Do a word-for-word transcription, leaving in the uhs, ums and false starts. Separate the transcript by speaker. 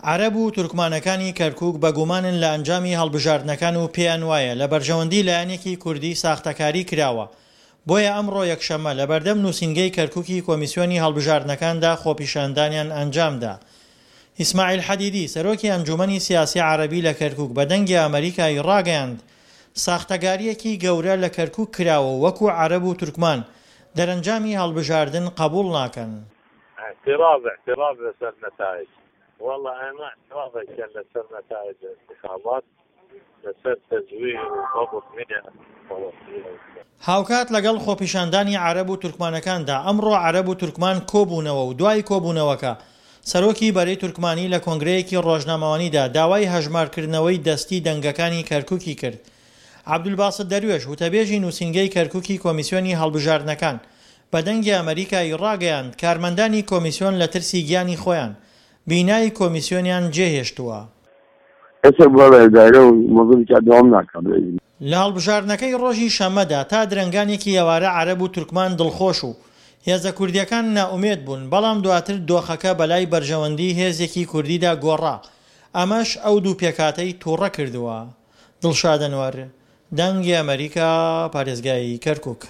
Speaker 1: عەرەب و تورکمانەکانی کەرکوک بەگومانن لە ئەنجامی هەڵبژاردنەکان و پێیان وایە لە بەرژەوەندی لایەنێکی کوردی ساختەکاری کراوە، بۆیە ئەمڕۆ یەکشەممە لەبەردەم نوسینگەی کەرکوکی کۆمیسیۆنی هەڵبژاردنەکاندا خۆپیشاندانیان ئەنجامدا. ئیسماعیل حەدیدی، سەرۆکی ئەنجومەنی سیاسی عەرەبی لە کەرکوک بە دەنگی ئەمەریکای ڕاگەیاند، ساختەگارییەکی گەورە لە کەرکوک کراوە و وەکو عەرەب و تورکمان دەرەنجامی هەڵبژاردن قبوڵ ناکەن.
Speaker 2: اعتراض اعتراض لەسەر نتائج والله ئێمە اعتراض ئەکەن لەسەر نتائج انتخابات لەسەر تزویر و ضبط مئة.
Speaker 1: هاوکات لەگەڵ خۆپیشاندانی عەرەب و تورکمانەکاندا، ئەمڕۆ عەرەب و تورکمان کۆبوونەوە و دوای کۆبوونەوەکە سەرۆکی بەرەی تورکمانی لە کۆنگرەیەکی ڕۆژنامەوانیدا داوای هەژمارکردنەوەی دەستی دەنگەکانی کەرکوکی کرد. عەبدولباست دەروێش، وتەبێژی نووسینگەی کەرکوکی کۆمیسیۆنی هەڵبژاردنەکان، بە دەنگی ئەمەریکای ڕاگەیاند، کارمەندانی کۆمیسیۆن لە ترسی گیانی خۆیان، بینای کۆمیسیۆنیان جێهێشتووە.
Speaker 3: ئێستا بۆ ئیدارە و مەزنی کات دەوام ناکات.
Speaker 1: لە هەڵبژاردنەکەی ڕۆژی شەممەدا تا درەنگانێکی ئێوارە عەرەب و تورکمان دڵخۆش و هێزە کوردییەکان نائومێد بوون، بەڵام دواتر دۆخەکە بەلای بەرژەوەندی هێزێکی کوردیدا گۆڕا، ئەمەش ئەو دوو پێکهاتەی توڕە کردووە. دڵشاد ئەنوەر، دەنگی ئەمەریکا، پارێزگای کەرکوک.